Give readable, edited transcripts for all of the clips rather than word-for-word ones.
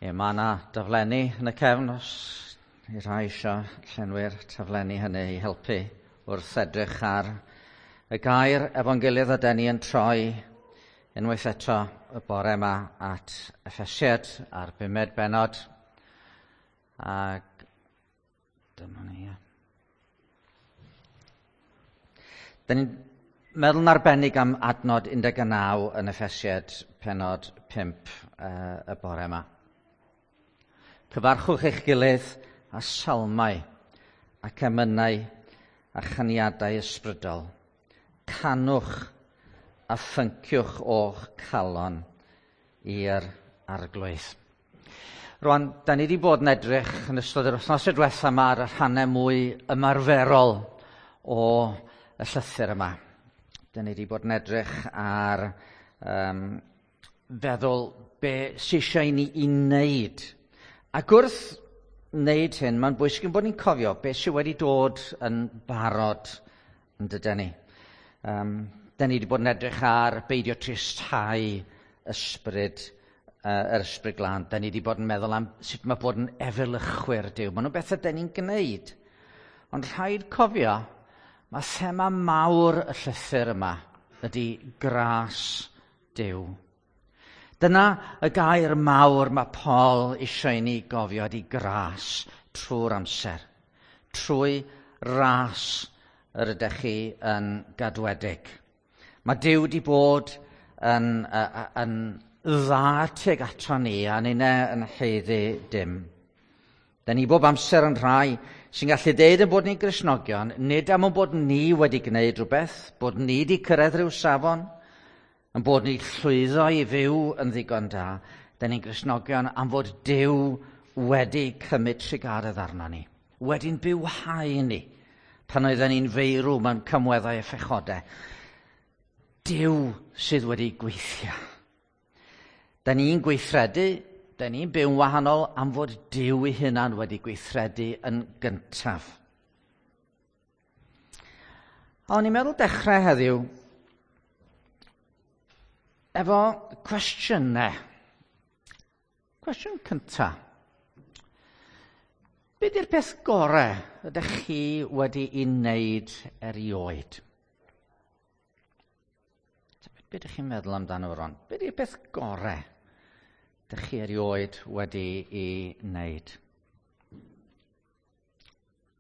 Ie, mae yna daflenni yn y cefn os i rhai eisiau llenwi'r taflenni hynny i helpu wrth edrych ar y gair efo'n gilydd a den ni yn troi unwaith eto y bore yma at Effesiad a'r bumed bennod. Ac dyma ni. Ie. Da ni'n meddwl yn arbennig am adnod 19 yn Effesiad pennod 5 y bore yma. Cyfarchwch eich gilydd a salmau ac emynau a chaniadau ysbrydol. Canwch a phynciwch o'ch calon i'r arglwydd. Rwan, da ni wedi bod yn edrych yn ystod yr wythnos diwetha yma ar y rhannau mwy ymarferol o y llythyr yma. Da ni wedi bod yn edrych ar feddwl be sy eisiau i ni i wneud. Ac wrth wneud hyn, mae'n bwysig ein bod ni'n cofio beth sydd wedi dod yn barod yn dyden ni. Da ni wedi bod yn edrych ar beidio tristhau ysbryd, yr ysbryd glân. Da ni wedi bod yn meddwl am sut mae bod yn efelychwyr Duw. Maen nhw'n bethau da ni'n gwneud. Ond rhaid cofio, mae thema mawr y llythyr yma ydy gras Duw. Dyna y gair mawr mae Paul eisiau i ni gofio ydy gras trwy'r amser. Trwy ras yr ydych chi yn gadwedig. Mae Duw wedi bod yn dda tuag ato ni a ninne yn haeddu dim. Da ni bob amser yn rhai sy'n gallu deud ein bod ni'n Gristnogion, nid am ein bod ni wedi gwneud rhywbeth, bod ni wedi cyrraedd rhyw safon, yn bod ni llwyddo i fyw yn ddigon da. Da ni'n Gristnogion am fod Duw wedi cymryd trugaredd arno ni, wedi'n bywhau ni, pan oedden ni'n feirw mewn cymweddau a phechodau. Duw sydd wedi gweithio. Da ni'n gweithredu, da ni'n byw'n wahanol am fod Duw ei hunan wedi gweithredu yn gyntaf. A o'n i'n meddwl dechrau heddiw efo cwestiynau. Cwestiwn cynta. Be di'r peth gorau ydych chi wedi'i wneud erioed? Be ydych chi'n meddwl amdano fo rwan? Be di'r peth gorau ydych chi erioed wedi'i wneud?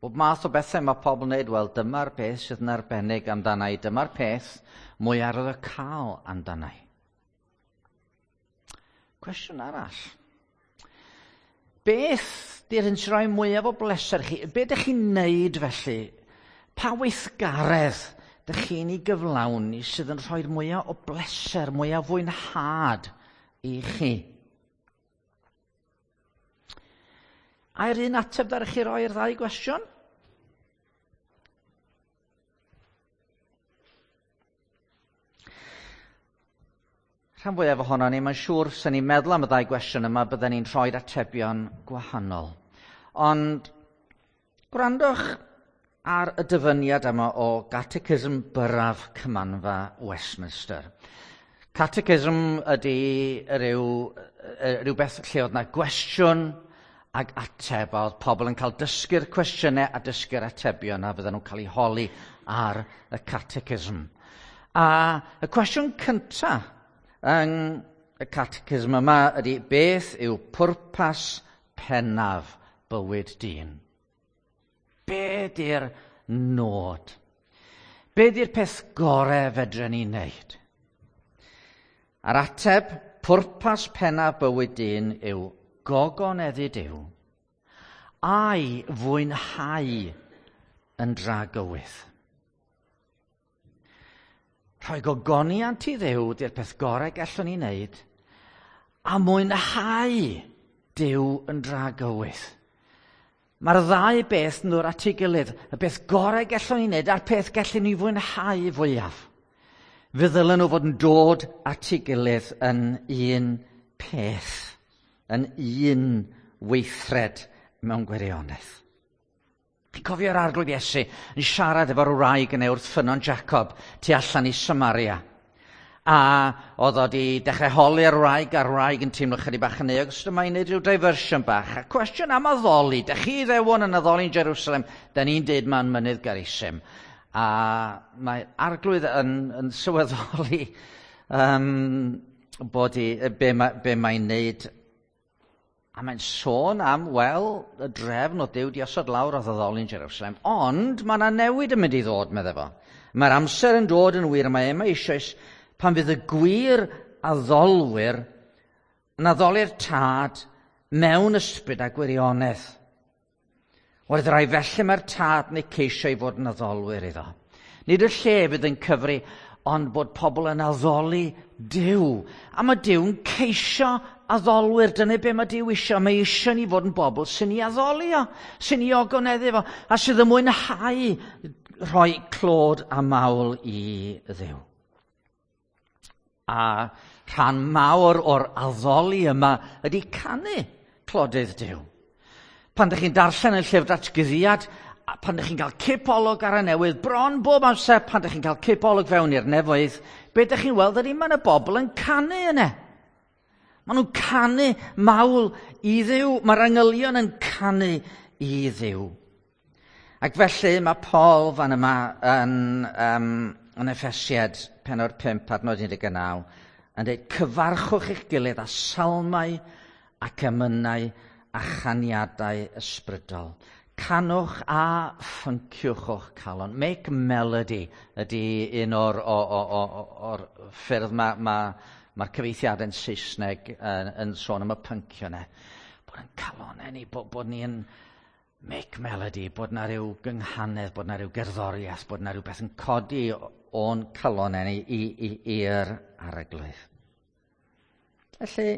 Bob math o bethau mae pobl yn wneud, wel dyma'r peth sydd yn arbennig amdana i, dyma'r peth mwy arwyddocaol amdana i. Cwestiwn arall. Beth di'r hyn sy'n rhoi mwyaf o bleser chi? Be ydych chi'n wneud felly? Pa weithgaredd ydych chi'n ei gyflawni sydd yn rhoi'r mwyaf o bleser, mwyaf fwynhad i chi? Ai'r un ateb ddaru chi roi i'r ddau gwestiwn? Rhan fwyaf ohono ni, mae'n siŵr, sy'n ni'n meddwl am y ddau gwestiwn yma, bydden ni'n rhoi'r atebion gwahanol. Ond gwrandwch ar y dyfyniad yma o Catechism Byrraf Cymanfa Westminster. Catechism ydy rhywbeth lle oedd yna gwestiwn ag ateb, a oedd pobl yn cael dysgu'r cwestiynau a dysgu'r atebion a fydden nhw'n cael eu holi ar y catechism. A y cwestiwn cyntaf yn y catechism yma ydy beth yw pwrpas pennaf bywyd dyn? Be di'r nod? Be di'r peth gorau fedren ni wneud? A'r ateb, pwrpas pennaf bywyd dyn yw gogoneddu Duw a'i fwynhau yn dragywydd. Rhoi gogoniant i Dduw di'r peth gorau gallwn ni wneud, a mwynhau Duw yn dragywydd. Mae'r ddau beth yn dod at ei gilydd, y beth gorau gallwn ni wneud a'r peth gallwn ni fwynhau fwyaf. Fe ddylen nhw fod yn dod at ei gilydd yn un peth, yn un weithred mewn gwirionedd. Chi'n cofio'r Arglwydd Iesu yn siarad efo'r wraig yn ei wrth ffynnon Jacob tu allan i Samaria. A oedd o wedi dechrau holi'r wraig, a'r wraig yn teimlo chydig bach yn euog, so dyma i'n neud rhyw diversion bach. A cwestiwn am addoli, da chi ddewon yn addoli'n Jerusalem, da ni'n deud ma'n mynydd Garisim. A mae arglwydd yn sylweddoli bod i, be, ma, be mae'n neud. A mae'n sôn am, wel, y drefn o Duw di osod lawr o addoli'n Jerusalem, ond mae yna newid yn mynd i ddod, meddai fo. Mae'r amser yn dod yn wir, mae yma eisoes pan fydd y gwir addolwyr yn addoli'r tad mewn ysbryd a gwirionedd. Oedd rai felly mae'r tad neu ceisio i fod yn addolwyr iddo. Nid y lle fydd yn cyfri, ond bod pobl yn addoli Duw. A mae Duw'n ceisio addolwyr. Dyna be mae Duw eisiau. Mae eisiau ni fod yn bobl sy'n ei addoli o, sy'n ei ogoneddu fo, a sydd yn mwynhau rhoi clod a mawl i Dduw. A rhan mawr o'r addoli yma ydy canu clodydd Duw. Pan ydych chi'n darllen yn llyfr datguddiad, pan ydych chi'n cael cipolwg ar y newydd, bron bob amser pan ydych chi'n cael cipolwg fewn i'r nefoedd, be ydych chi'n weld ydy mae yna bobl yn canu yna. Maen nhw'n canu mawl i Dduw. Mae'r angylion yn canu i Dduw. Ac felly mae Paul fan yma yn Effesiad pennod 5 adnod 19 yn dweud cyfarchwch eich gilydd â salmau ac emynau a chaniadau ysbrydol. Canwch a ffynciwch o'ch calon. Make melody ydy un o'r, o, o, o, o'r ffyrdd mae'r ma, ma cyfeithiadau'n Saesneg yn sôn am y pyncio yna. Bod yn calonau ni, bod ni'n make melody, bod na ryw gynghanedd, bod na ryw gerddoriaeth, bod na rhywbeth yn codi o'n calonau ni i'r arglwydd. Felly,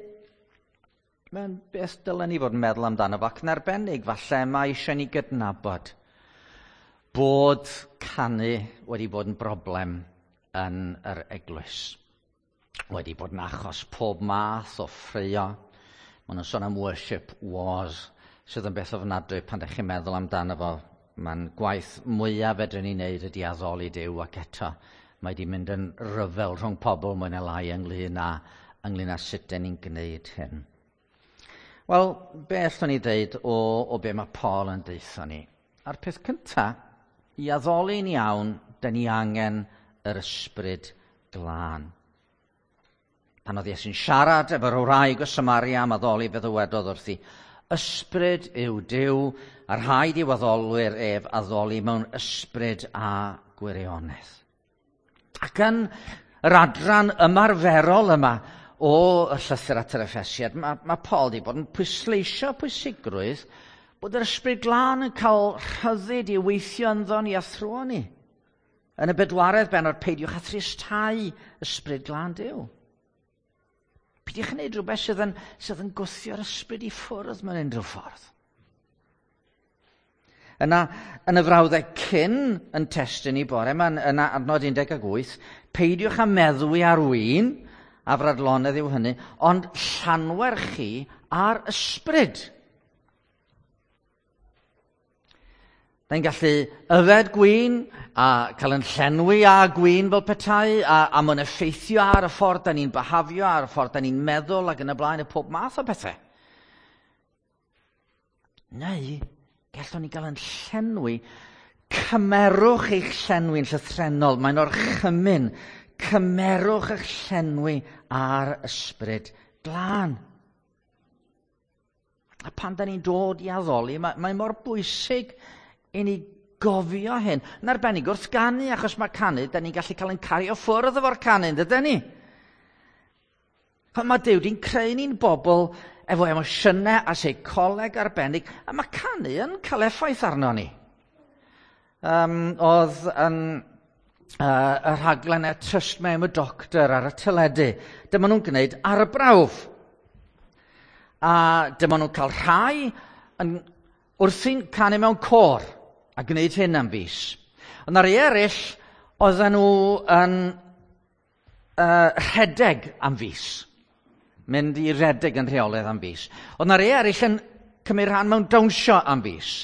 mae'n beth dylen ni fod yn meddwl amdano fo, ac yn arbennig falle mae eisiau ni gydnabod bod canu wedi bod yn broblem yn yr eglwys. Wedi bod yn achos pob math o ffraeo. Maen nhw'n sôn am worship wars, sydd yn beth ofnadwy pan ydych chi'n meddwl amdano fo. Mae'n gwaith mwyaf fedrwn ni wneud ydy addoli Duw, ac eto mae wedi mynd yn ryfel rhwng pobl mwy neu lai ynglyn â sut dyn ni'n gwneud hyn. Wel, be allwn ni ddeud o be mae Paul yn deutha ni? A'r peth cyntaf, i addoli'n iawn, dyn ni angen yr ysbryd glân. Pan oedd Iesu'n siarad efo'r wraig o Samaria am addoli, fe ddywedodd wrthi, ysbryd yw Duw, a rhaid i'w addolwyr ef addoli mewn ysbryd a gwirionedd. Ac yn yr adran ymarferol yma o y llythyr at yr Effesiad, mae Paul wedi bod yn pwysleisio pwysigrwydd bod yr ysbryd glân yn cael rhyddid i weithio ynddo ni a thrwy ni. Yn y bedwaredd bennod, peidiwch â thristau ysbryd glân Duw. Peidiwch yn gwneud rhywbeth sydd yn gwthio'r ysbryd i ffwrdd mewn unrhyw ffordd. Yna, yn y frawddeg cyn yn testun i bore, mae'n yna adnod 18, peidiwch â meddwi ar win, a fradlonedd yw hynny, ond llanwer chi ar ysbryd. Da ni'n gallu yfed gwin a cael yn llenwi â gwin fel petai, a mae'n effeithio ar y ffordd da ni'n byhafio, ar y ffordd da ni'n meddwl ac yn y blaen, y pob math o bethau. Neu, gallwn ni gael yn llenwi, cymerwch eich llenwi'n llythrennol, mae'n orchymyn, cymerwch eich llenwi ar ysbryd glân. A pan da ni'n dod i addoli, mae mor bwysig i ni gofio hyn. Yn arbennig wrth ganu, achos mae canu, da ni'n gallu cael ein cario ffwrdd efo'r canu, dydyn ni? Mae Duw di'n creu ni'n bobl efo emosiynau a seicoleg arbennig, a mae canu yn cael effaith arno ni. Oedd yn y rhaglen Trust Me I'm a Doctor ar y teledu. Dyma nhw'n gwneud arbrawf. A dyma nhw'n cael rhai yn wrthi'n canu mewn côr a gwneud hyn am fis. Ond ar ei eraill, oedden nhw yn rhedeg am fis. Mynd i redeg yn rheolaidd am fis. Ond ar ei eraill yn cymryd rhan mewn dawnsio am fis.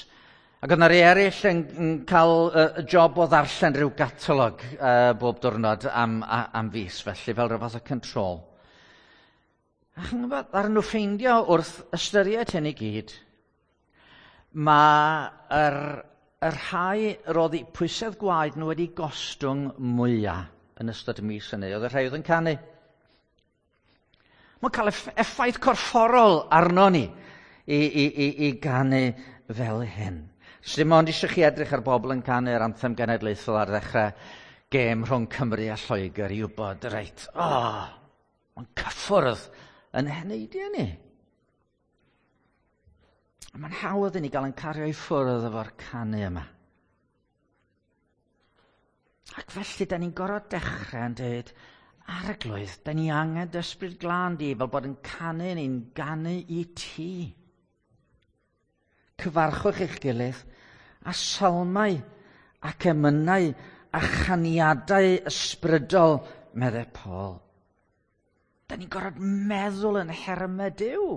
Ac oedd yna rei eraill yn cael y job o ddarllen rhyw gatalog bob diwrnod am fis, felly, fel rhyw fath o control. A chi'n gwybod, ar nhw ffeindio wrth ystyried hyn i gyd, mae yr rhai roedd eu pwysedd gwaed nhw wedi gostwng mwyaf yn ystod y mis hynny, oedd y rhai oedd yn canu. Mae'n cael effaith corfforol arno ni i ganu fel hyn. So dim ond eisiau chi edrych ar bobl yn canu'r anthem genedlaethol ar ddechrau gêm rhwng Cymru a Lloegr i wybod, reit, mae'n cyffwrdd yn heneidiau ni. Mae'n hawdd i ni gael yn cario i ffwrdd efo'r canu yma. Ac felly, da ni'n gorfod dechrau yn dweud, Arglwydd, da ni angen dy Ysbryd Glân di fel bod yn canu ni'n ganu i ti. Cyfarchwch eich gilydd a salmau ac emynau a chaniadau ysbrydol, meddai Paul. Da ni'n gorfod meddwl yn nhermau Duw.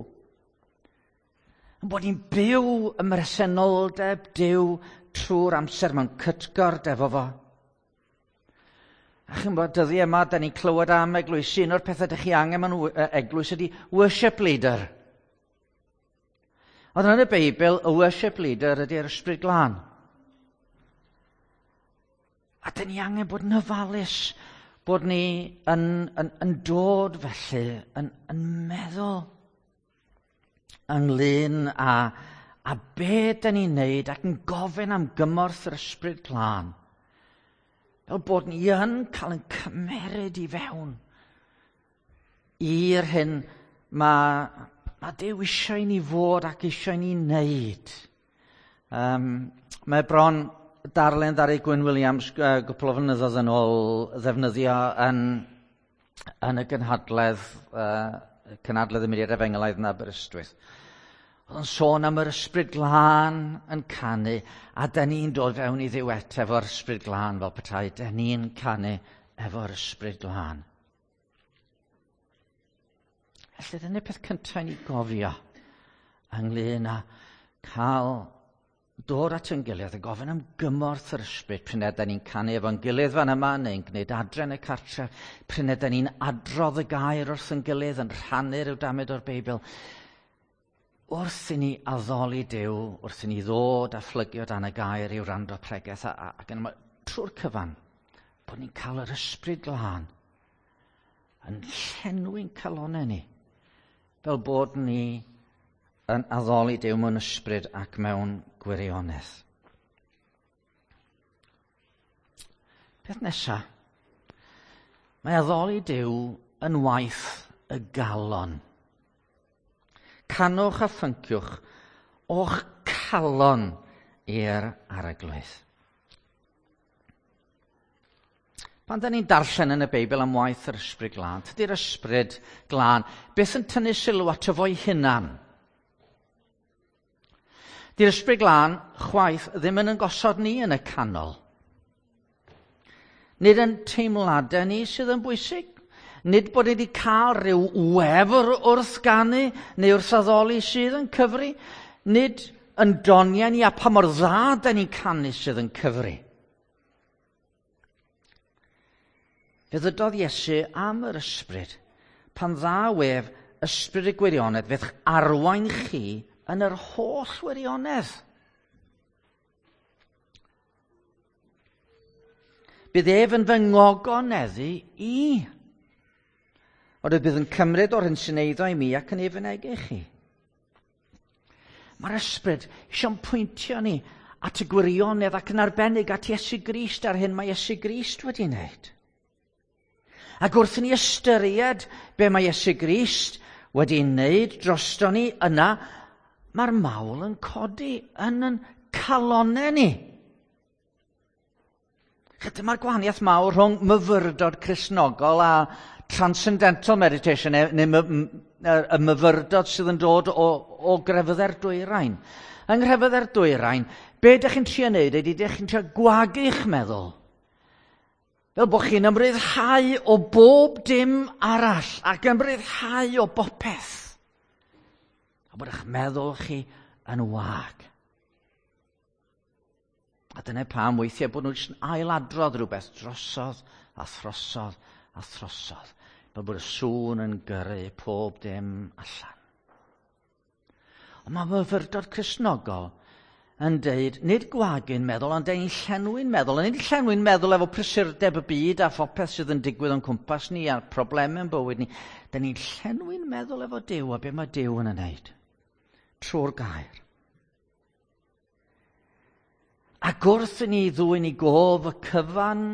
Yn bod ni'n byw ym mhresenoldeb Duw trwy'r amser mewn cytgord efo fo. A chi'n bod, dyddiau yma, da ni'n clywed am eglwysi. Un o'r pethau ydych chi angen mewn eglwys ydy worship leader. Ond yn y Beibl, y worship leader ydy'r Ysbryd Glân. A dyn ni angen bod yn ofalus bod ni yn dod felly, yn meddwl ynglyn â be dyn ni'n neud ac yn gofyn am gymorth yr Ysbryd Glân. Fel bod ni yn cael yn cymeryd i fewn i'r hyn mae Duw eisiau i ni fod ac eisiau i ni wneud. Mae bron darllen ddaru Gwyn Williams gwpl o flynyddoedd yn ôl ddefnyddio yn y gynhadledd y Mudiad Efengylaidd yn Aberystwyth. Oedd yn sôn am yr Ysbryd Glân yn canu, a da ni'n dod fewn i ddiwet efo'r Ysbryd Glân fel petai, da ni'n canu efo'r Ysbryd Glân. Felly dyna'r peth cyntaf i ni gofio ynglyn â cael dod at ein gilydd a gofyn am gymorth yr ysbryd pryd ydan ni'n canu efo'n gilydd fan yma neu'n gwneud adre yn y cartref, pryd ydan ni'n adrodd y gair wrth ein gilydd, yn rhannu rhyw damed o'r Beibl. Wrth i ni addoli Duw, wrth i ni ddod a phlygio dan y gair i wrando pregeth ac yn trwy'r cyfan, bod ni'n cael yr Ysbryd Glân yn llenwi'n calonnau ni, fel bod ni yn addoli Duw mewn ysbryd ac mewn gwirionedd. Peth nesaf, mae addoli Duw yn waith y galon. Canwch a phynciwch o'ch calon i'r Arglwydd. Pan da ni'n darllen yn y Beibl am waith yr Ysbryd Glân, tydi'r Ysbryd Glân beth yn tynnu sylw ato fo'i hunan. Di'r Ysbryd Glân chwaith ddim yn gosod ni yn y canol. Nid yn teimladau ni sydd yn bwysig. Nid bod ni wedi cael rhyw wefr wrth ganu neu wrth addoli sydd yn cyfri. Nid yn doniau ni a pa mor dda da ni'n canu sydd yn cyfri. Fe ddydodd Iesu am yr ysbryd, pan ddaw ef ysbryd y gwirionedd, fe'ch arwain chi yn yr holl wirionedd. Bydd ef yn fy ngogoneddu i. Ond bydd yn cymryd o'r hyn sy'n eiddo i mi ac yn ei fynegu chi. Mae'r ysbryd eisiau'n pwyntio ni at y gwirionedd ac yn arbennig at Iesu Grist a'r hyn mae Iesu Grist wedi wneud. Ac wrth i ni ystyried be mae Iesu Grist wedi wneud drosto ni yna, mae'r mawl yn codi yn yn calonnau ni. Dyma'r gwahaniaeth mawr rhwng myfyrdod Cristnogol a transcendental meditation, neu y myfyrdod sydd yn dod o grefyddau'r dwyrain. Yng nghrefyddau'r dwyrain, be ydych chi'n trio wneud ydy ydych chi'n trio gwagu'ch meddwl. Fel bod chi'n ymryddhau o bob dim arall ac ymryddhau o bopeth. A bod eich meddwl chi yn wag. A dyna pam weithiau bod nhw jyst yn ailadrodd rhywbeth drosodd a throsodd a throsodd. Fel bod y sŵn yn gyrru pob dim allan. Ond mae myfyrdod Cristnogol yn deud, nid gwagu'n meddwl, ond ein llenwi'n meddwl. A nid llenwi'n meddwl efo prysurdeb y byd a phopeth sydd yn digwydd o'n cwmpas ni a'r problemau yn bywyd ni. Da ni'n llenwi'n meddwl efo Duw a be mae Duw yn ei wneud. Trwy'r gair. Ac wrth i ni ddwyn i gof y cyfan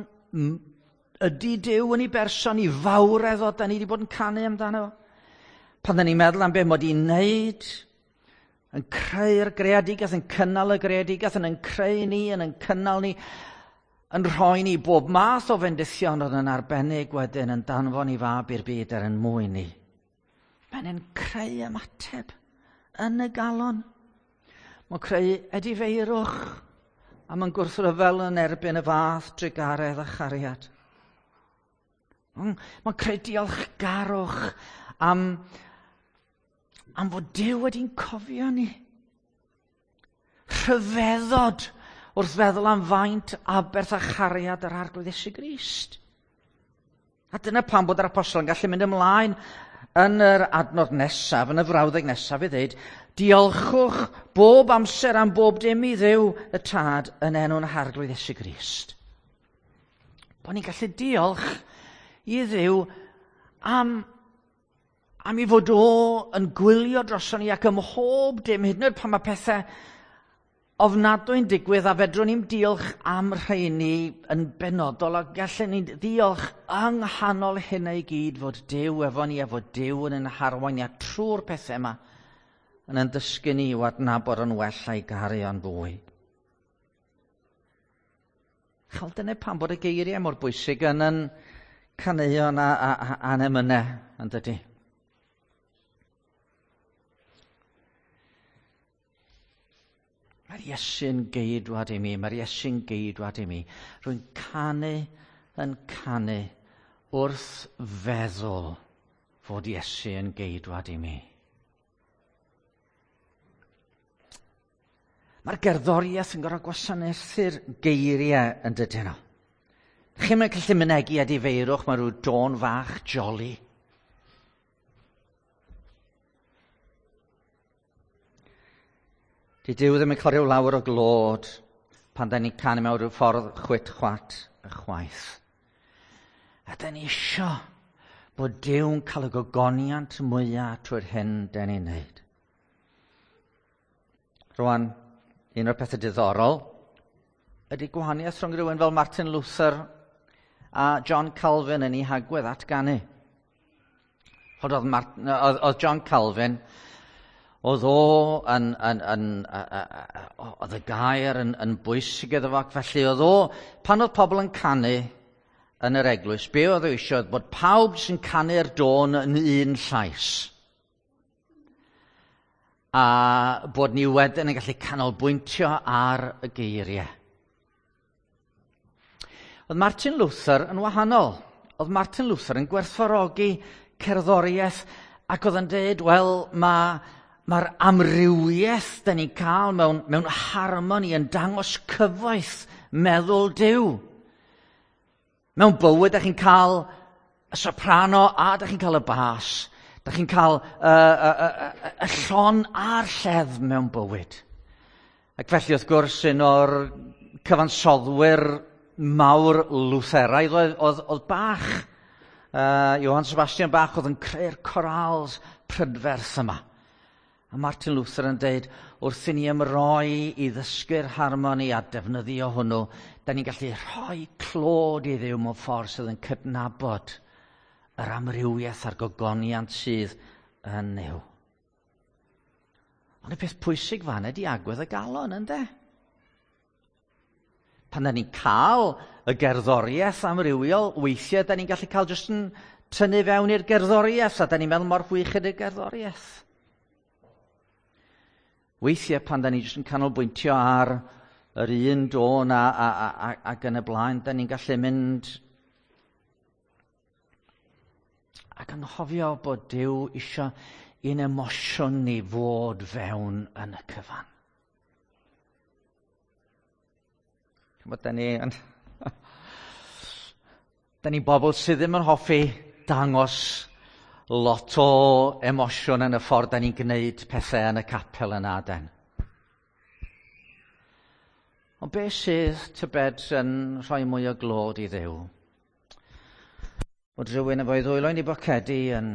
ydy Duw yn ei berson i fawredd o, da ni wedi bod yn canu amdano. Pan da ni'n meddwl am be mod i'n wneud, yn creu'r greadigaeth, yn cynnal y greadigaeth, yn creu ni, yn cynnal ni, yn rhoi ni bob math o fendithion oedd yn arbennig wedyn yn danfon i fab i'r byd er yn mwyn ni. Mae'n yn creu ymateb yn y galon. Mae'n creu edifeirwch a mae'n gwrthryfel yn erbyn y fath drugaredd a chariad. Mae'n creu diolchgarwch am fod Duw wedi'n cofio ni. Rhyfeddod wrth feddwl am faint aberth a chariad yr Arglwydd Iesu Grist. A dyna pam bod yr apostol yn gallu mynd ymlaen yn yr adnod nesaf, yn y frawddeg nesaf i ddweud, diolchwch bob amser am bob dim i Dduw y Tad yn enw'n Harglwydd Iesu Grist. Bod ni'n gallu diolch i Dduw am i fod o yn gwylio droson ni ac ym mhob dim, hyd yn oed pan mae pethau ofnadwy'n digwydd a fedrwn ni'm diolch am rheini yn benodol, a gallen ni ddiolch yng nghanol hynna i gyd fod Duw efo ni a fod Duw yn ein harwain ni a trwy'r pethau yma yn dysgu ni i'w adnabod yn well a'i garu o'n fwy. Chal, dyna pam bod y geiriau mor bwysig yn yn caneuon a'n emynau, yn dydy? Mae'r Iesu'n geidwad i mi, mae'r Iesu'n geidwad i mi. Rwy'n canu yn canu wrth feddwl fod Iesu yn geidwad i mi. Mae'r gerddoriaeth yn gorfod gwasanaethu'r geiriau yn dydyn nhw. Chi'n mynd gallu mynegi edifeirwch, mae rhyw dôn fach jolly. Di Duw ddim yn cael rhyw lawer o glod pan da ni'n canu mewn rhyw ffordd chwit chwat y chwaith. A da ni isio bod Duw'n cael y gogoniant mwyaf trwy'r hyn da ni'n neud. Rwan, un o'r pethau diddorol ydy gwahaniaeth rhwng rhywun fel Martin Luther a John Calvin yn ei hagwedd at ganu. Oedd John Calvin, oedd o yn, oedd y gair yn bwysig iddo fo, ac felly oedd o, pan oedd pobl yn canu yn yr eglwys, be oedd o eisiau oedd bod pawb sy'n canu'r dôn yn un llais. A bod ni wedyn yn gallu canolbwyntio ar y geiriau. Oedd Martin Luther yn wahanol. Oedd Martin Luther yn gwerthfawrogi cerddoriaeth ac oedd yn dweud, wel, mae'r amrywiaeth da ni'n cael mewn harmoni yn dangos cyfoeth meddwl Duw. Mewn bywyd, da chi'n cael y soprano a da chi'n cael y bas. Da chi'n cael y llon a'r lleddf mewn bywyd. Ac felly, wrth gwrs, un o'r cyfansoddwyr mawr Lutheraidd oedd Bach. Johann Sebastian Bach oedd yn creu'r corals prydferth yma. A Martin Luther yn deud, wrth i ni ymroi i ddysgu'r harmoni a defnyddio hwnnw, da ni'n gallu rhoi clod i Dduw mewn ffordd sydd yn cydnabod yr amrywiaeth a'r gogoniant sydd yn Nuw. Ond y peth pwysig fan ydy agwedd y galon, ynde? Pan da ni'n cael y gerddoriaeth amrywiol, weithiau da ni'n gallu cael jyst yn tynnu fewn i'r gerddoriaeth, a da ni'n meddwl mor chwych ydy'r gerddoriaeth. Weithiau pan da ni jyst yn canolbwyntio ar yr un dôn ac yn y blaen, da ni'n gallu mynd ac anghofio bod Duw isio i'n emosiwn ni fod fewn yn y cyfan. Chymod, da ni yn... da ni'n bobl sydd ddim yn hoffi dangos lot o emosiwn yn y ffordd da ni'n gwneud pethau yn y capel yna, den. Ond beth sydd, tybed, yn rhoi mwy o glod i Dduw? Bod rhywun efo'i ddwylo yn ei bocedi yn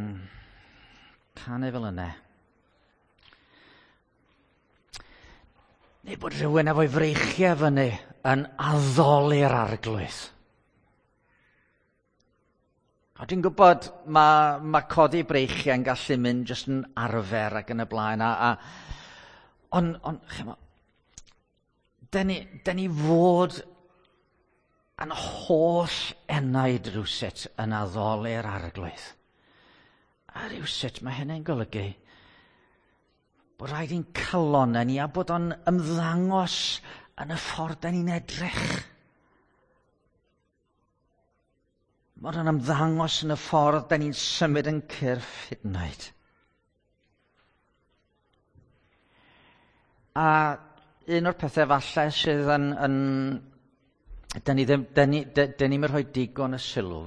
canu fel yna. Neu bod rhywun efo'i freichiau fyny yn addoli'r Arglwydd. A dwi'n gwybod mae codi breichiau yn gallu mynd jyst yn arfer ac yn y blaen. Ond, chymod, da ni fod yn holl enaid rhywsut yn addoli'r Arglwydd. A rhywsut mae hynny'n golygu bod rhaid i'n calonnau ni a bod o'n ymddangos yn y ffordd da ni'n edrych. Bod o'n ymddangos yn y ffordd da ni'n symud yn cyrff hyd yn oed. A un o'r pethau falle sydd yn da ni ddim, da ni'm yn rhoi digon y sylw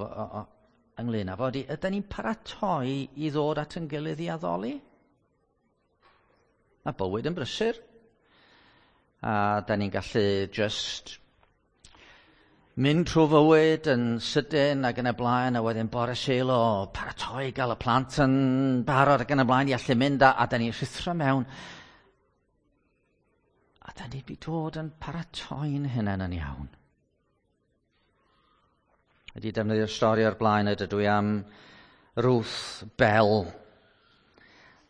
ynglyn â fo, ydy ni'n paratoi i ddod at yn gilydd i addoli? Mae bywyd yn brysur. A da ni'n gallu just mynd trwy fywyd yn sydyn ac yn y blaen, a wedyn bore Sul o paratoi gael y plant yn barod ac yn y blaen i allu mynd, a da ni'n rhuthro mewn. A da ni wedi dod yn paratoi'n hunain yn iawn. Wedi defnyddio'r stori o'r blaen, ydw i am Ruth Bell.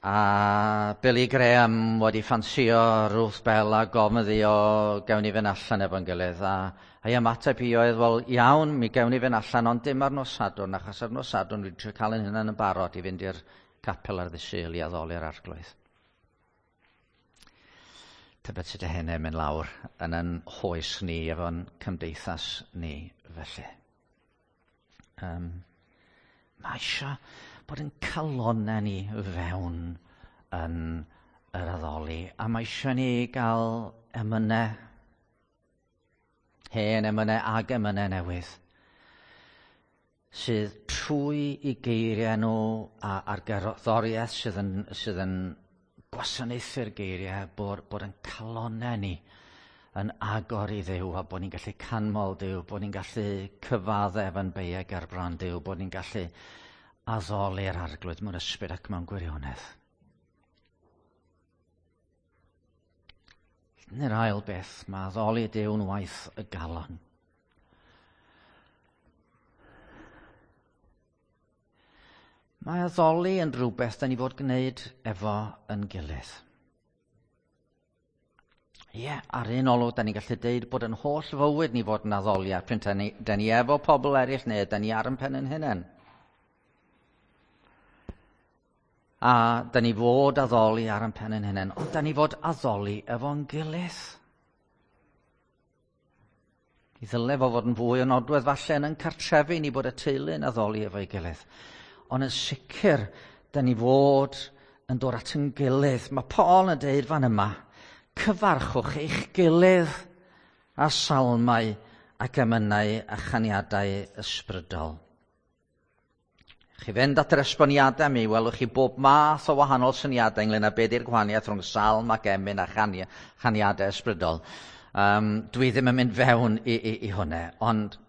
A Billy Graham wedi ffansio Ruth Bell a gofyn iddi o gawn ni fynd allan efo'n gilydd. A ei ymateb hi oedd, wel iawn, mi gawn ni fynd allan, ond dim ar nos Sadwrn, achos ar nos Sadwrn dwi'n trio cael ein hunain yn barod i fynd i'r capel ar ddydd Sul i addoli'r Arglwydd. Tybed sut y hynny'n mynd lawr yn yn hoes ni efo'n cymdeithas ni felly. Mae eisiau bod yn calonnau ni fewn yn yr addoli. A mae eisiau ni gael emynau, hen emynau ag emynau newydd, sydd trwy i geiriau nhw a'r gerddoriaeth sydd yn gwasanaethu'r geiriau, bod yn calonnau ni yn agor i Dduw, a bod ni'n gallu canmol Duw, bod ni'n gallu cyfaddef yn beiau ger bron Duw, bod ni'n gallu addoli'r Arglwydd mewn ysbryd ac mewn gwirionedd. Neu'r ail beth, mae addoli Duw'n waith y galon. Mae addoli yn rhywbeth da ni fod gwneud efo yn gilydd. Ie, ar un olwg, da ni'n gallu deud bod yn holl fywyd ni fod yn addoliad, pryd da ni efo pobl eraill neu da ni ar yn pen yn hunain. A da ni fod addoli ar yn pen yn hunain, ond da ni fod addoli efo'n gilydd. I ddyle fo fod yn fwy o nodwedd falle yn cartrefi ni bod y teulu yn addoli efo'i gilydd. Ond yn sicr, da ni fod yn dod at yn gilydd. Mae Paul yn deud fan yma, cyfarchwch eich gilydd a salmau ac emynau a chaniadau ysbrydol. Chi fynd at yr esboniadau mi, welwch chi bob math o wahanol syniadau ynglyn â beth yw'r gwahaniaeth rhwng salm ac emyn a chaniadau ysbrydol. Dwi ddim yn mynd fewn i hwnna, ond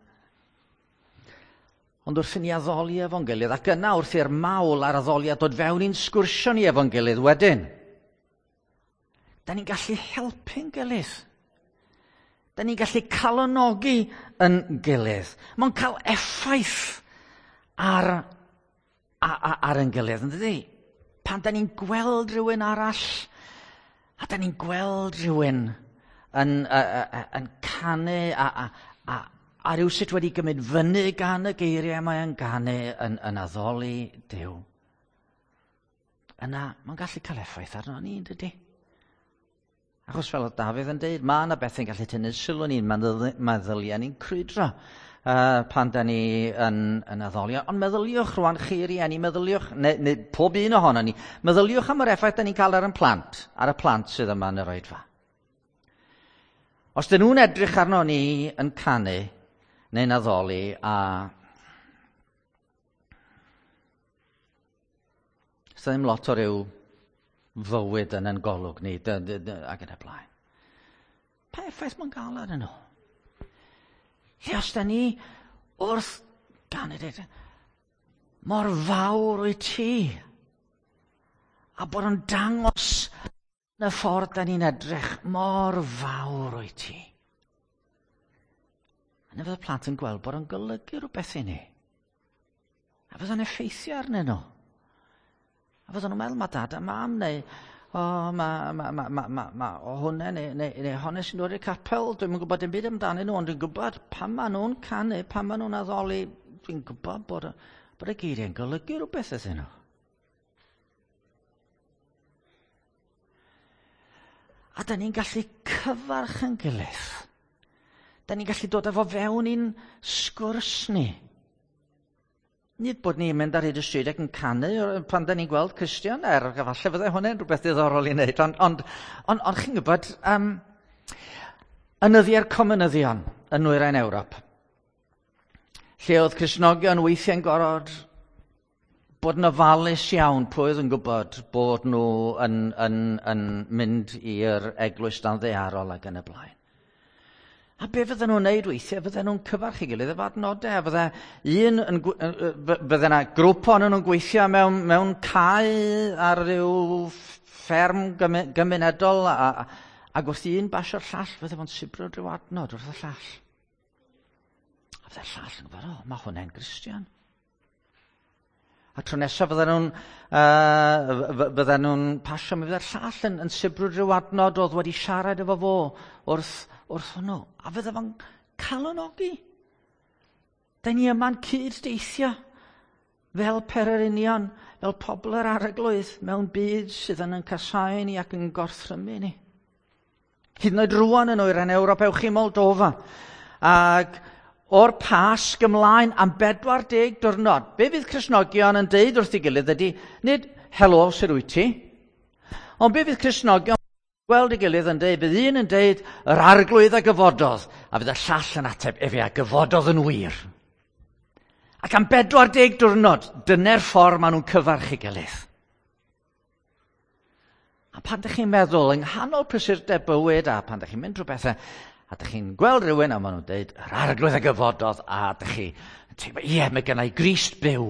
wrth i ni addoli efo'n gilydd, ac yna wrth i'r mawl a'r addoliad dod fewn i'n sgwrsio ni efo'n gilydd wedyn, da ni'n gallu helpu'n gilydd. Da ni'n gallu calonogi yn gilydd. Mae'n cael effaith ar yn gilydd, yn dydi? Pan da ni'n gweld rhywun arall, a da ni'n gweld rhywun yn canu a rhywsut wedi gymryd fyny gan y geiriau mae yn ganu yn addoli Duw. Yna, mae'n gallu cael effaith arno ni, yn dydi? Achos fel oedd Dafydd yn deud, mae yna bethau'n gallu tynnu sylw ni, meddyliau ni'n crwydro pan da ni yn addoli. Ond meddyliwch rwan chi rieni, meddyliwch, neu pob un ohono ni, meddyliwch am yr effaith da ni'n cael ar y plant sydd yma yn yr oedfa. Os dyn nhw'n edrych arno ni yn canu neu'n addoli a Does ddim lot o ryw fywyd yn ein golwg ni ac yn y blaen. Pa effaith mae'n gael arnyn nhw? Lle os da ni wrth ganu dweud, mor fawr wyt ti, a bod yn dangos yn y ffordd da ni'n edrych, mor fawr wyt ti. A fydd y plant yn gweld bod yn golygu rhywbeth i ni. A fydd o'n effeithio arnyn nhw. A fydden nhw'n meddwl, mae dad a mam, neu o, ma, ma, ma, ma, ma, ma, o hwnna, neu, neu, neu hwnna sy'n dod i'r capel, dwi'n gwybod dim byd amdanyn nhw, ond dwi'n gwybod pan maen nhw'n canu, pan maen nhw'n addoli, dwi'n gwybod bod, bod y geiriau'n golygu rhywbeth iddyn nhw. A da ni'n gallu cyfarch yn gilydd. Da ni'n gallu dod â fo fewn i'n sgwrs ni. Nid bod ni'n mynd ar hyd y stryd ac yn canu pan da ni'n gweld Cristion, er falle fyddai hwnna'n rhywbeth diddorol i wneud, ond on, on, on chi'n gwybod, yn nyddiau'r comunyddion yn nwyrain Ewrop, lle oedd Cristnogion weithiau'n gorfod bod yn ofalus iawn pwy oedd yn gwybod bod nhw yn, yn, yn mynd i'r eglwys dan ddaearol ac yn y blaen. A be fydden nhw'n neud weithiau, fydden nhw'n cyfarch ei gilydd efo adnodau, a fydde un yn, fydde yna grŵp ohonyn nhw'n gweithio mewn, mewn cae ar ryw fferm gymunedol, a, ac wrth un basio'r llall, fydde fo'n sibrwd rhyw adnod wrth y llall. A fydde'r llall yn gwybod, o, mae hwnna'n Gristion. A tro nesaf fydden nhw'n fydden nhw'n pasio, mi fydde'r llall yn, yn sibrwd rhyw adnod oedd wedi siarad efo fo wrth, wrth hwnnw. A fydde fo'n calonogi. Da ni yma'n cyd-deithio fel pererinion, fel pobl yr arglwydd mewn byd sydd yn yn casáu ni ac yn gorthrymu ni. Hyd yn oed rwan yn oer yn Ewrop, ewch i Moldova. Ac o'r Pasg ymlaen am 40 diwrnod, be fydd Cristnogion yn deud wrth ei gilydd ydy, nid helo, sut wyt ti? Ond be fydd Cristnogion gweld ei gilydd yn deud, bydd un yn deud, yr arglwydd a gyfododd, a fydd y llall yn ateb, efe a gyfododd yn wir. Ac am 40 diwrnod, dyna'r ffordd maen nhw'n cyfarch ei gilydd. A pan ydych chi'n meddwl, yng nghanol prysurdeb bywyd, a pan ydych chi'n mynd drwy bethau, a ydych chi'n gweld rhywun a maen nhw'n deud, yr arglwydd a gyfododd, a ydych chi yn teimlo, ie, mae gennai Grist byw.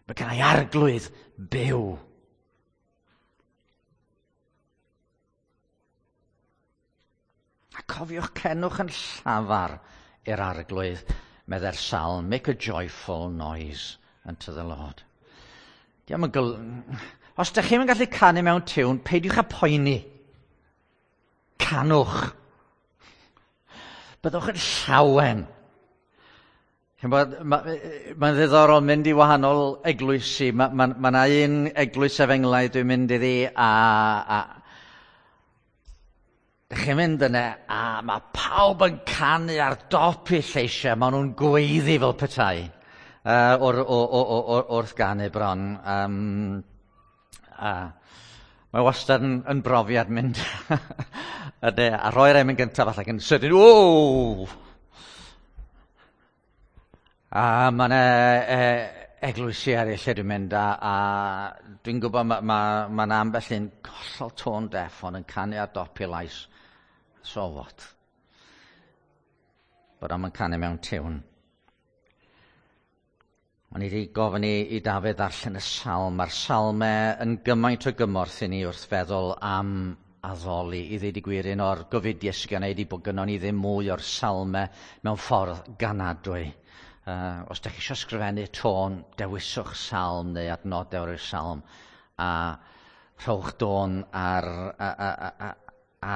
Mae gennai arglwydd byw. A cofiwch cenwch yn llafar i'r arglwydd, meddai'r salm, make a joyful noise unto the Lord. Diolch yn gyl... Os ydych chi'n gallu canu mewn tiwn, peidiwch â poeni. Canwch. Byddwch yn llawen. Mae'n ma ddiddorol mynd i wahanol eglwysi. Mae ma, ma 'na un eglwys efengylaidd dwi'n mynd iddi a, a Dych chi'n mynd yna a mae pawb yn canu ar dop eu lleisiau. Maen nhw'n gweiddi fel petai uh, o'r, o, o, o, wrth ganu bron. Um, a mae wastad yn, yn brofiad mynd ydy, a rhoi'r emyn gyntaf falle ac yn sydyn, o! A mae yna e, eglwysi eraill lle dwi'n mynd a, a dwi'n gwybod mae ma, ma 'na ambell un hollol tone deaf ond yn canu ar dop ei lais. So what? Bod o'm yn canu mewn tiwn. O'n i wedi gofyn i, i Dafydd ddarllen y salm. Mae'r salmau yn gymaint o gymorth i ni wrth feddwl am addoli. I ddweud y gwir, un o'r gofidiau sydd gen i ydi bod gynnon ni ddim mwy o'r salmau mewn ffordd ganadwy. Os ydych chi eisiau ysgrifennu tôn, dewiswch salm neu adnodau o'r salm a rhowch dôn ar, a, a, a,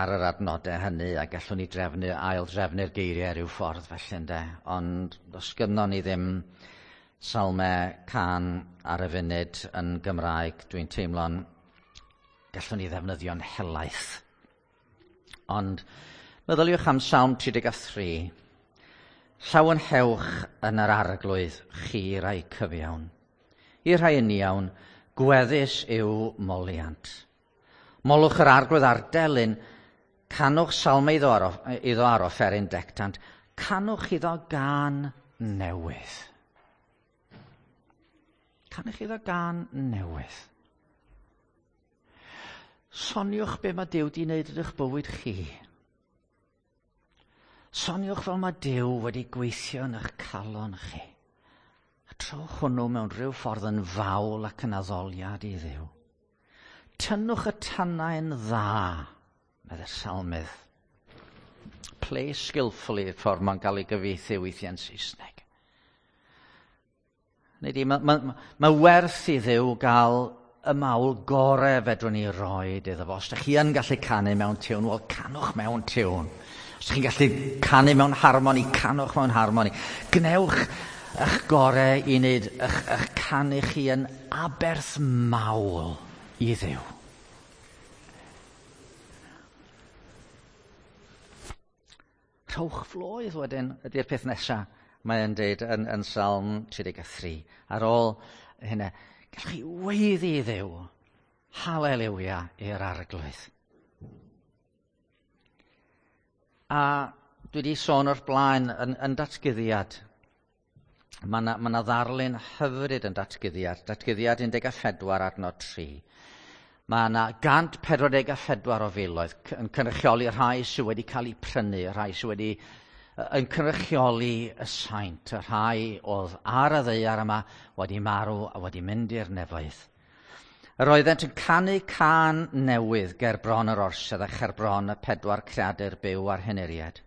ar yr adnodau hynny a gallwn ni drefnu, ail drefnu'r geiriau rhyw ffordd felly ynde. Ond os gynnon ni ddim salmau cân ar y funud yn Gymraeg, dwi'n teimlo'n gallwn ni ddefnyddio'n helaeth. Ond meddyliwch am Salm 33. Llawenhewch yn yr arglwydd, chi rai cyfiawn. I'r rhai uniawn, gweddus yw moliant. Molwch yr arglwydd ar delyn, Canwch salmau iddo ar offeryn dectant. Canwch iddo gân newydd. Canwch iddo gân newydd. Soniwch be mae Duw 'di wneud yn eich bywyd chi. Soniwch fel mae Duw wedi gweithio yn eich calon chi. A trowch hwnnw mewn rhyw ffordd yn fawl ac yn addoliad i Dduw. Tynnwch y tannau'n dda, medde'r salmydd. Play skillfully, y ffordd mae'n cael ei gyfieithu weithiau'n Saesneg. Nid i, mae werth i Dduw gael y mawl gore fedrwn ni roed iddo fo. Os ydych chi yn gallu canu mewn tiwn, wel, canwch mewn tiwn. Os ydych chi'n gallu canu mewn harmoni, canwch mewn harmoni. Gnewch eich gore i wneud eich canu chi yn aberth mawl i Dduw. Rhowch floedd wedyn ydy'r peth nesaf mae'n dweud yn Salm 33. Ar ôl hynna, gallwch chi weiddi i Dduw. Haleliwia i'r Arglwydd. A dwi wedi sôn o'r blaen yn datguddiad. Mae 'na ddarlun hyfryd yn datguddiad. Datguddiad 14 adnod 3. Mae yna 144 o filoedd yn cynrychioli rhai sydd wedi cael eu prynu, rhai sydd wedi yn cynrychioli y saint, y rhai oedd ar y ddaear yma wedi marw a wedi mynd i'r nefoedd. Yr oeddent yn canu cân newydd ger bron yr orsedd a cher bron y pedwar creadur byw a'r henuriad.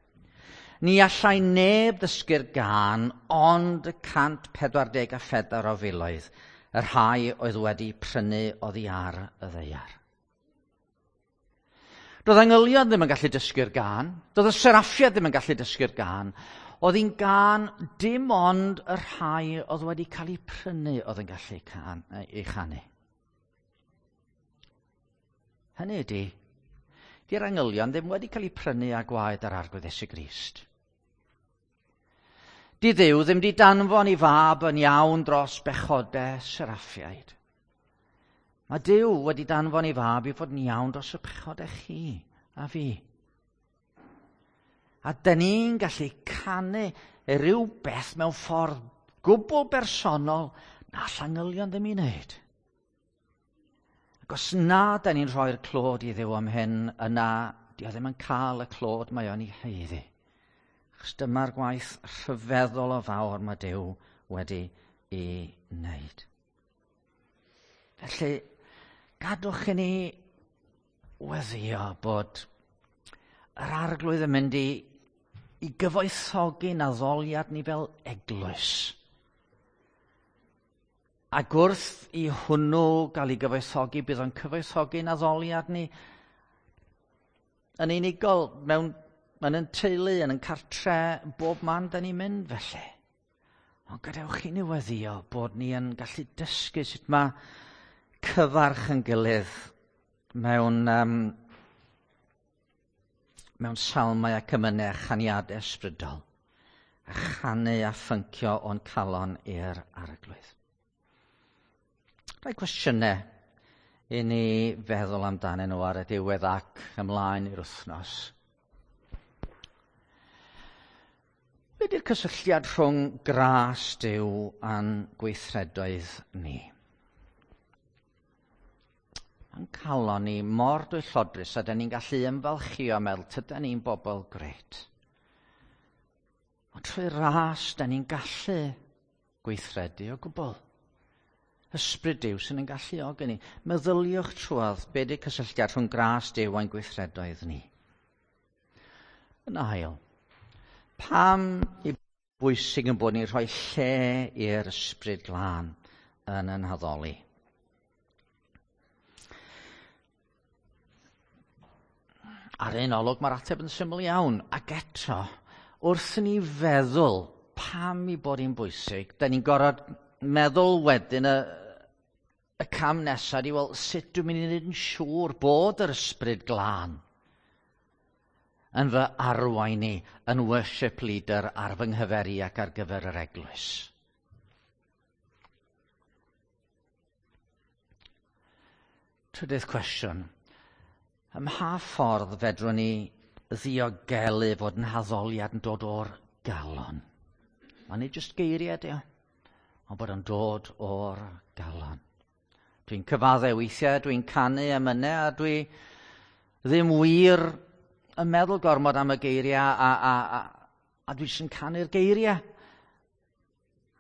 Ni allai neb ddysgu'r gân ond y 144 o filoedd, y rhai oedd wedi prynu oddi ar y ddaear. Doedd angylion ddim yn gallu dysgu'r gân, doedd y seraffiad ddim yn gallu dysgu'r gân. Oedd hi'n gân dim ond y rhai oedd wedi cael eu prynu oedd yn gallu ei chanu. Hynny ydy, di'r angylion ddim wedi cael eu prynu â gwaed yr Arglwydd Iesu Grist. Di Dduw ddim di danfon ei fab yn iawn dros bechodau seraffiaid. Mae Duw wedi danfon ei fab i fod yn iawn dros y pechodau chi a fi. A dyn ni'n gallu canu rhywbeth mewn ffordd gwbl bersonol na all angylion ddim i wneud. Ac os na dyn ni'n rhoi'r clod i Dduw am hyn, yna di o ddim yn cael y clod mae o'n ei haeddu. Achos dyma'r gwaith rhyfeddol o fawr mae Duw wedi ei wneud. Felly, gadwch i ni weddio bod yr Arglwydd yn mynd i gyfoethogi'n addoliad ni fel eglwys. Ac wrth i hwnnw gael ei gyfoethogi, bydd o'n cyfoethogi'n addoliad ni yn unigol, mewn yn teulu, yn cartre, bob man da ni'n mynd felly. Ond gadewch i ni weddio bod ni yn gallu dysgu sut mae cyfarch yn gilydd mewn salmau ac emynau a chaniadau ysbrydol, a chanu a ffyncio o'n calon i'r Arglwydd. Rhai cwestiynau i ni feddwl amdanyn nhw ar y diwedd ac ymlaen i'r wythnos. Be di'r cysylltiad rhwng gras Duw a'n gweithredoedd ni? Mae'n calon ni mor dwyllodrus a dyn ni'n gallu ymfalchio meddwl tydan ni'n bobl grêt. Ond trwy ras dyn ni'n gallu gweithredu o gwbl. Ysbryd Duw sy'n yn galluogi ni. Meddyliwch trwodd be di'r cysylltiad rhwng gras Duw a'n gweithredoedd ni. Yn ail, pam i bwysig yn bod ni'n rhoi lle i'r Ysbryd Glân yn ein haddoli? Ar un olwg mae'r ateb yn syml iawn, ac eto, wrth i ni feddwl pam i bod hi'n bwysig, da ni'n gorfod meddwl wedyn y cam nesaf ydi, wel, sut dwi'n mynd i wneud yn siŵr bod yr Ysbryd Glân yn fy arwain i yn worship leader ar fy nghyfer i ac ar gyfer yr eglwys. Trydydd cwestiwn. Ym mha ffordd fedrwn ni ddiogelu fod yn haddoliad yn dod o'r galon? Mae'n nid jyst geiriau, di o, ond bod o'n dod o'r galon. Dwi'n cyfadde weithiau, dwi'n canu emynau, a dwi ddim wir yn meddwl gormod am y geiriau, a dwi jyst yn canu'r geiriau.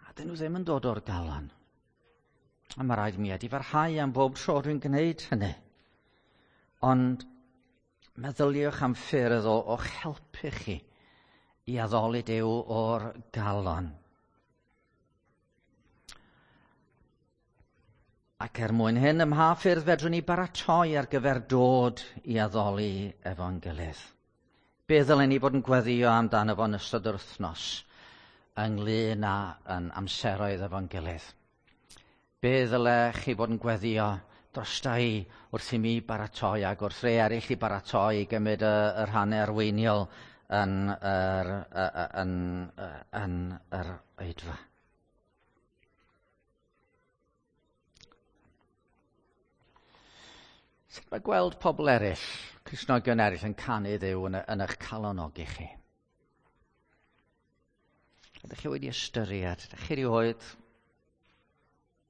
A dyn nhw ddim yn dod o'r galon. A mae rhaid mi edifarhau am bob tro dwi'n gwneud hynny. Ond meddyliwch am ffyrdd o'ch helpu chi i addoli Duw o'r galon. Ac er mwyn hyn, ym mha ffyrdd fedrwn ni baratoi ar gyfer dod i addoli efo'n gilydd? Be ddylen ni fod yn gweddio amdano fo yn ystod yr wythnos ynglyn â yn amseroedd efo'n gilydd? Be ddyle chi fod yn gweddio drosta i wrth i mi baratoi ac wrth rei eraill i baratoi i gymryd y rhannau arweiniol yn yr oedfa? Sut mae gweld pobl eraill, Cristnogion eraill, yn canu Dduw yn eich calonogi chi? Ydych chi wedi ystyried? Ydych chi erioed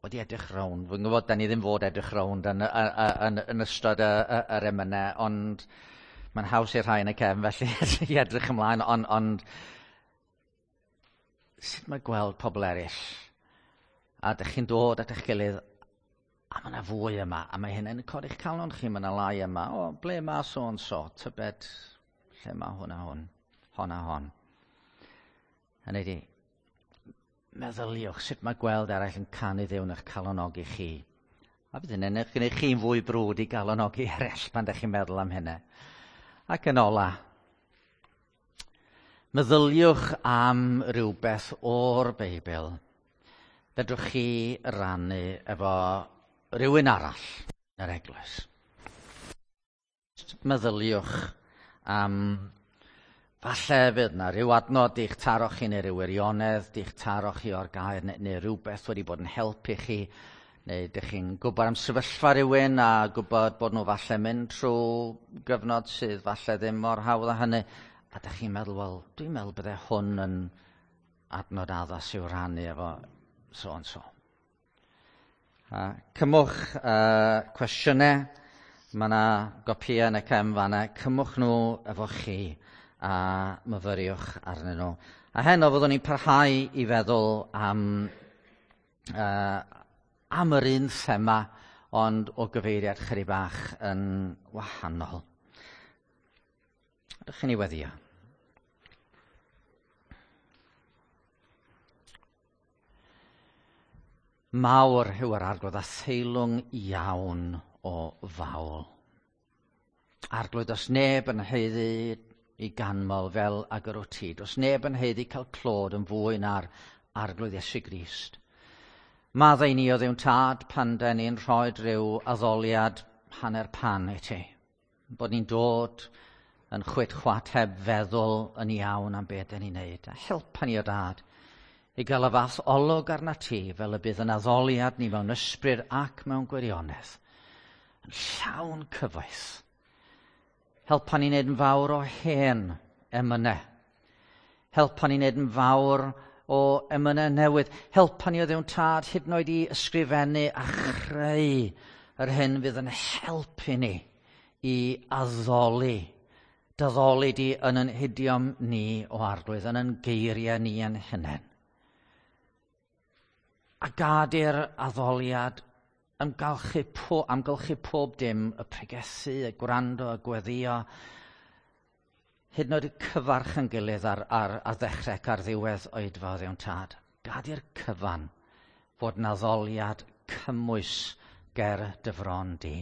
wedi edrych rownd? Fi'n gwybod, da ni ddim fod edrych rownd yn ystod yr emynau, ond mae'n haws i'r rhai yn y cefn felly i edrych ymlaen, ond sut mae gweld pobl eraill? A ydych chi'n dod at eich gilydd, a mae yna fwy yma, a mae hynny'n codi'ch calon chi, mae yna lai yma. O, ble mae so and so? Tybed, lle mae hwn a hwn, hon a hon. Hynny ydi, meddyliwch sut mae gweld eraill yn canu Dduw yn eich calonogi chi. A bydd hynny'n eich gwneud chi'n fwy brwd i galonogi eraill pan ydych chi'n meddwl am hynny. Ac yn ola, meddyliwch am rywbeth o'r Beibl fedrwch chi rannu efo rhywun arall yn yr eglwys. Meddyliwch am falle fydd yna rhyw adnod di'ch taro chi neu rhyw wirionedd di'ch taro chi o'r gair neu rhywbeth wedi bod yn helpu chi, neu ydych chi'n gwybod am sefyllfa rhywun a gwybod bod nhw falle mynd trwy gyfnod sydd falle ddim mor hawdd â hynny, a ydych chi'n meddwl, wel, dwi'n meddwl bydde hwn yn adnod addas i'w rannu efo so and so. Cymwch cwestiynau, mae yna gopïau yn y cefn fan'na, cymwch nhw efo chi a myfyriwch arnyn nhw. A heno fyddwn ni'n parhau i feddwl am yr un thema, ond o gyfeiriad chydig bach yn wahanol. Ydych chi'n ei weddio? Mawr yw yr Arglwydd a theilwng iawn o fawl. Arglwydd, does neb yn haeddu i ganmol fel ag yr wyt ti. Does neb yn haeddu cael clod yn fwy na'r Arglwydd Iesu Grist. Maddau ni o Dduw'n Tad pan dan ni'n rhoi rhyw addoliad hanner pan i ti. Bod ni'n dod yn chwit chwat heb feddwl yn iawn am beth dan ni'n neud. A helpa ni o Dad i gael y fath olwg arna ti fel y bydd yn addoliad ni mewn ysbryd ac mewn gwirionedd, yn llawn cyfoeth. Helpa ni wneud yn fawr o hen emynau. Helpa ni wneud yn fawr o emynau newydd. Helpa ni o Dduw'n Tad hyd yn oed i ysgrifennu a chreu yr hyn fydd yn helpu ni i addoli. Daddoli di yn yn hidiom ni o Arglwydd, yn yn geiriau ni yn hunain. A gad i'r addoliad amgylchu pob dim, y pregethu, y gwrando, y gweddio, hyd yn oed y cyfarch yn gilydd ar ddechrau ac ar ddiwedd oedfa o Dduw'n Tad. Gad i'r cyfan fod yn addoliad cymwys ger dy fron di.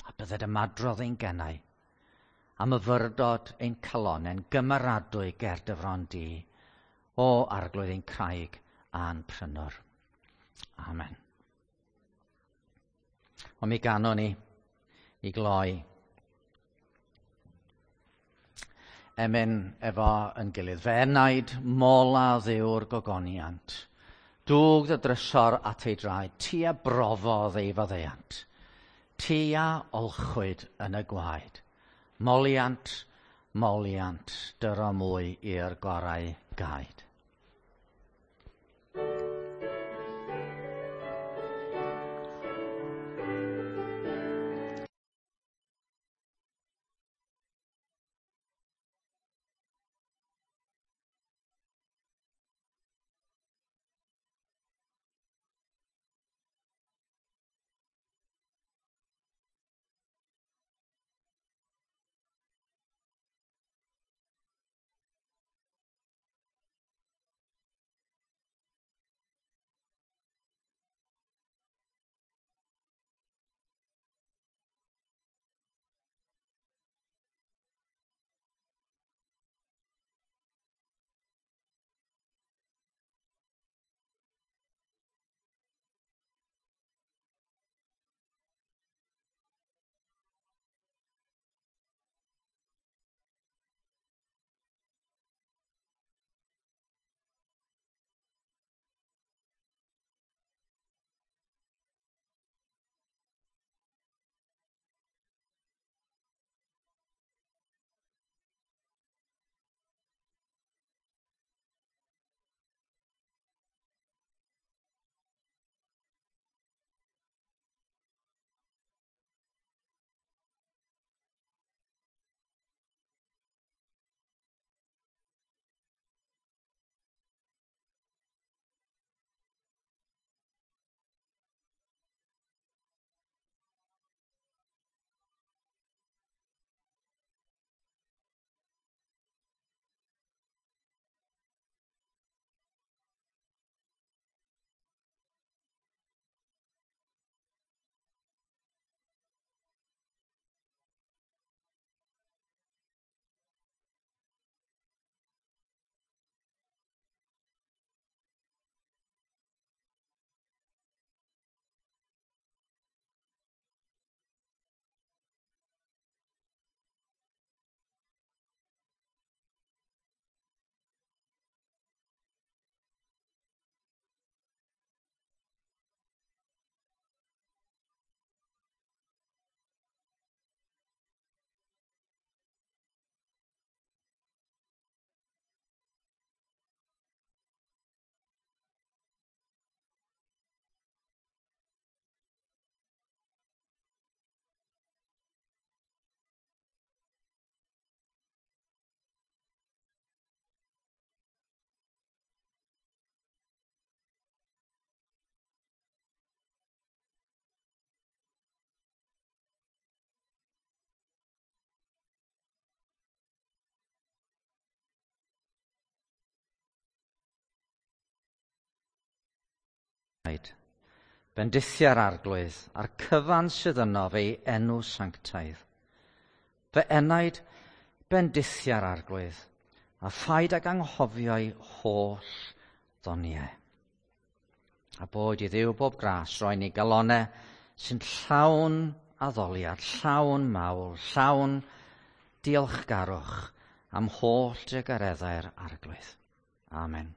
A bydded ymadrodd ein gennau, a myfyrdod ein calonnau'n gymaradwy ger dy fron di, o Arglwydd ein craig a'n prynwr. Amen. Ond mi ganon ni i gloi emyn efo yn gilydd. Fe enaid mola Dduw'r gogoniant. Dwg dy drysor at ei draed, ti a brofodd ei faddeuant. Ti a olchwyd yn y gwaed. Moliant, moliant, dyro mwy i'r gorau gaed. Bendithia'r Arglwydd a'r cyfan sydd yno fe'i enw sanctaidd. Fy enaid, bendithia'r Arglwydd, a phaid ag anghofio'i holl ddoniau. A boed i Dduw bob gras roi ni galonau sy'n llawn addoliad, llawn mawl, llawn diolchgarwch am holl drugareddau'r Arglwydd. Amen.